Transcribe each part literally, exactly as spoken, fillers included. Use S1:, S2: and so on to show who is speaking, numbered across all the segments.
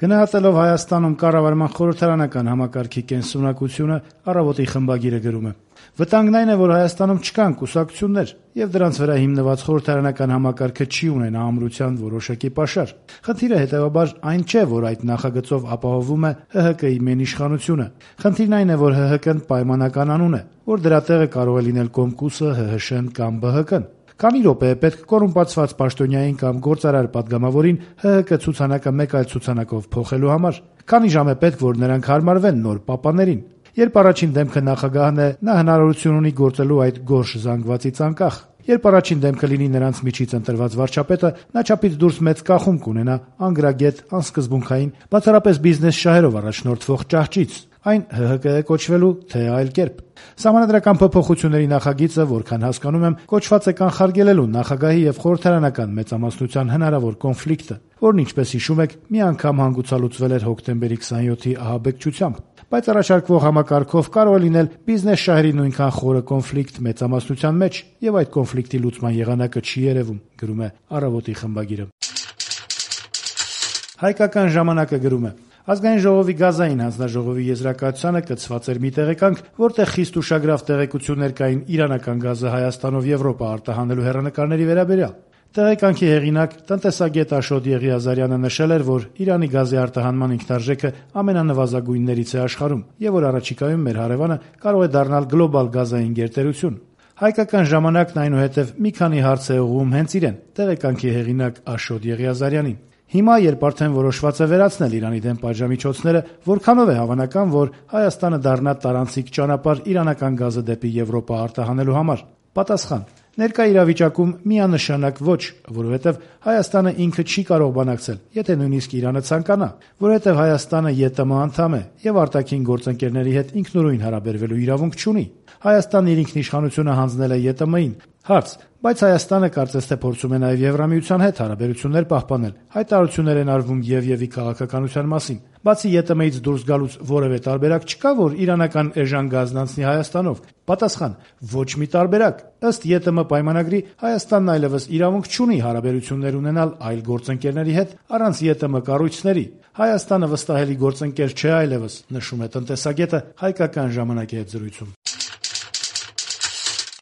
S1: Գնահատելով Հայաստանում կառավարման խորհրդարանական համակարգի կենսունակությունը, Առավոտի խմբագիրը գրում է. «Վտանգն այն է, որ Հայաստանում չկան կուսակցություններ, եւ դրանց վրա հիմնված խորհրդարանական համակարգը չի ունենա ամրության որոշակի պաշար։ Խնդիրը հետեւաբար այն չէ, որ այդ նախագծով ապահովում է ՀՀԿ-ի մենիշխանությունը։ Խնդիրն այն է, որ ՀՀԿ-ն պայմանական անուն է, որ դրա տեղը կարող է լինել Կոմկուսը, ՀՀՇ-ն կամ ԲՀԿ-ն։ Քանի րոպե է պետք կոռումպացված պաշտոնյային կամ գործարար падգամավորին ՀՀԿ ցուցանակը մեկ այլ ցուցանակով փոխելու համար։ Քանի ժամ է պետք, որ նրանք հարմարվեն նոր պապաներին։ Երբ առաջին դեմքը նախագահն է, նա հնարավորություն ունի գործելու այդ գորշ զանգվածից անկախ։ Երբ առաջին դեմքը լինի նրանց միջից ընտրված վարչապետը, նա չափից դուրս մեծ կախում կունենա անգրագետ, անսկզբունքային, բացառապես բիզնես շահերով առաջնորդվող ճահճից։ Այն ՀՀԿ է կոչվելու, թե այլ կերպ։ Սահմանադրական փոփոխությունների նախագիծը, որքան հասկանում եմ, կոչված է կանխարգելելու նախագահի եւ խորհրդարանական մեծամասնության հնարավոր կոնֆլիկտը, որն, ինչպես հիշում եք, մի անգամ հանգուցալուծվել էր հոկտեմբերի քսաներկուի ահաբեկչությամբ։ Բայց առաջարկվող համակարգով կարող է լինել բիզնես շահերի նույնքան խորը կոնֆլիկտ մեծամասնության մեջ, եւ այդ կոնֆլիկտի լուծման եղանակը չի երևում, գրում է Առավոտի խմբագիրը։ Հայկական ժամանակը գրում է. Ազգային ժողովի գազային հանձնաժողովի եզրակացությանը կցված էր մի տեղեկանք, որտեղ խիստ ուշագրավ տեղեկություններ կային իրանական գազը Հայաստանով Եվրոպա արտահանելու հեռանկարների վերաբերյալ։ Տեղեկանքի հեղինակ, տնտեսագետ Աշոտ Եղիազարյանը նշել էր, որ Իրանի գազի արտահանման ինքնարժեքը ամենանվազագույններից է աշխարհում եւ որ առաջիկայում մեր հարևանը կարող է դառնալ գլոբալ գազային գերտերություն։ Հայկական ժամանակն այնուհետև մի քանի հարց է ուղղում հենց իրեն, տեղեկանքի հեղինակ Աշոտ Եղիազարյանին։ Հիմա, երբ արդեն որոշված է վերացնել Իրանի դեմ պատժամիջոցները, որքանով է հավանական, որ Հայաստանը դառնա տարանցիկ ճանապարհ իրանական գազը դեպի Եվրոպա արտահանելու համար։ Պատասխան. Ներկա իրավիճակում միանշանակ ոչ, որովհետև Հայաստանը ինքը չի կարող բանակցել, եթե նույնիսկ Իրանը ցանկանա, որովհետև Հայաստանը ԵՏՄ անդամ է եւ արտաքին գործընկերների հետ ինքնուրույն հարաբերվելու իրավունք չունի։ Հայաստանն իր ինքնիշխանությունը հանձնել է ԵՏՄ-ին։ Հարց. բայց Հայաստանը կարծես թե փորձում է նաև Եվրամիության հետ հարաբերություններ պահպանել։ Հայտարարություններ են արվում ԵՎ-ի քաղաքականության մասին։ Բացի ԵՏՄ-ից դուրս գալուց որևէ տարբերակ չկա, որ իրանական էժան գազն անցնի Հայաստանով։ Պատասխան. ոչ մի տարբերակ։ Ըստ ԵՏՄ պայմանագրի Հայաստանն այլևս իրավունք չունի հարաբերություններ ունենալ այլ գործընկերների հետ առանց ԵՏՄ կառույցների։ Հայաստանը վստահելի գործընկեր չէ այլևս, նշում է տնտեսագետը Հայկական ժամանակի հետ զրույցում։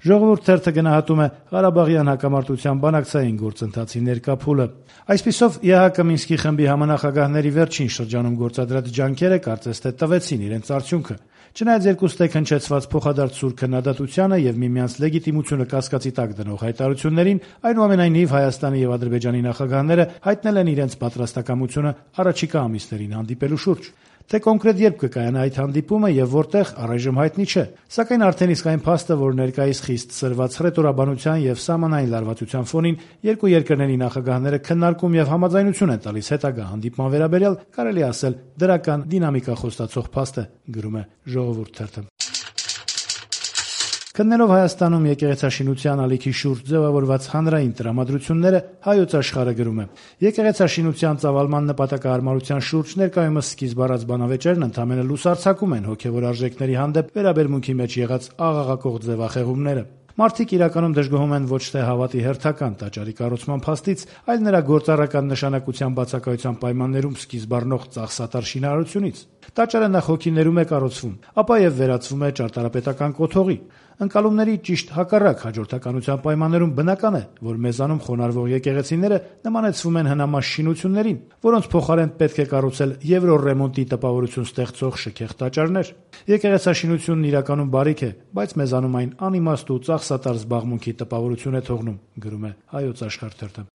S1: Ժողովուրդ թերթը գնահատում է Ղարաբաղյան հակամարտության բանակցային գործընթացի ներկա փուլը։ Այսպիսով ԵՀԿ Մինսկի խմբի համանախագահների վերջին շրջանում գործադրած ջանքերը կարծես թե տվեցին իրենց արդյունքը։ Չնայած երկուստեք հնչեցված փոխադարձ սուր քննադատությանը եւ միմյանց լեգիտիմությունը կասկածի տակ դնող հայտարարություններին, այնուամենայնիվ Հայաստանի եւ Ադրբեջանի նախագահները հայտնել են իրենց պատրաստակամությունը առաջիկա ամիսներին հանդիպելու շուրջ։ Թե կոնկրետ երբ կկայանա այդ հանդիպումը եւ որտեղ, առայժմ հայտնի չէ, սակայն արդեն իսկ այն փաստը, որ ներկայիս խիստ սրված հռետորաբանության եւ սահմանային լարվածության ֆոնին երկու երկրների նախագահները քննարկում եւ համաձայնություն են տալիս հետագա հանդիպման վերաբերյալ, կարելի ասել դրական դինամիկա խոստացող փաստ է, գրում է Ժողովուրդ թերթը։ Քննելով Հայաստանում եկեղեցաշինության ալիքի շուրջ ձևավորված հանրային տրամադրությունները, Հայոց Աշխարհը գրում է. Եկեղեցաշինության ծավալման նպատակահարմարության շուրջ ներկայումս սկիզբ առած բանավեճերն ընդամենը լուսարձակում են հոգևոր արժեքների հանդեպ վերաբերմունքի մեջ եղած աղաղակող ձևախեղումները։ Մարդիկ իրականում դժգոհում են ոչ թե հավատի հերթական տաճարի կառուցման փաստից, այլ նրա գործառական նշանակության բացակայության պայմաններում սկիզբ առնող ծախսատար շինարարությունից։ Տաճարը նախ հոգիներում է կառուցվում, ապա եւ վերածվում է ճարտարապետական կոթողի։ Ընկալումների ճիշտ հակառակ հաջորդականության պայմաններում բնական է, որ մեզանում խոնարհվող եկեղեցիները նմանեցվում են հնամաշ շինություններին, որոնց փոխարեն պետք է կառուցել եվրոռեմոնտի տպավորություն ստեղծող շքեղ տաճարներ։ Եկեղեցաշինությունն իրականում բարիք է, բայց մեզանում այն անիմաստ ու ծախսատար զբաղմունքի տպավորություն է թողնում, գրում է Հայոց Աշխարհ թերթը։